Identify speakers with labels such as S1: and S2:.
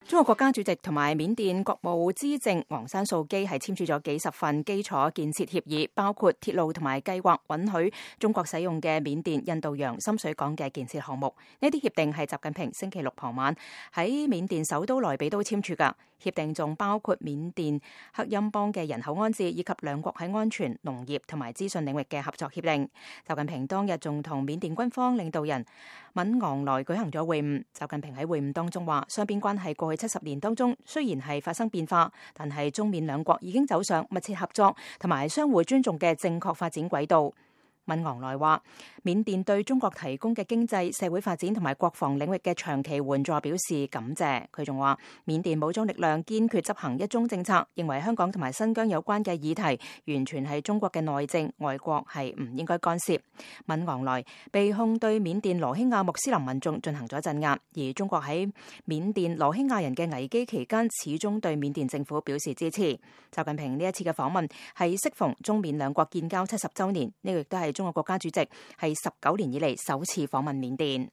S1: 中國國家主席同埋緬甸國務資政昂山素基係簽署咗幾十份基礎建設協議，包括鐵路同埋計劃允許中國使用嘅緬甸印度洋深水港嘅建設項目。呢啲協定係習近平星期六傍晚喺緬甸首都萊比都簽署㗎。協定仲包括緬甸克欽邦嘅人口安置，以及兩國喺安全、農業同埋資訊領域嘅合作協定。習近平當日仲同緬甸軍方領導人敏昂萊舉行咗會晤。習近平喺會晤當中話，雙邊關係過去70年當中雖然係發生變化，但係中緬兩國已經走上密切合作同埋相互尊重嘅正確發展軌道。敏昂萊話，緬甸對中國提供嘅經濟、社會發展同埋國防領域嘅長期援助表示感謝。佢仲話，緬甸武裝力量堅決執行一中政策，認為香港同埋新疆有關嘅議題完全係中國嘅內政，外國係唔應該干涉。敏昂萊被控對緬甸羅興亞穆斯林民眾進行咗鎮壓，而中國喺緬甸羅興亞人嘅危機期間始終對緬甸政府表示支持。習近平呢一次嘅訪問係適逢中緬兩國建交70週年，呢個亦都係中國國家主席係19年以嚟首次訪問緬甸。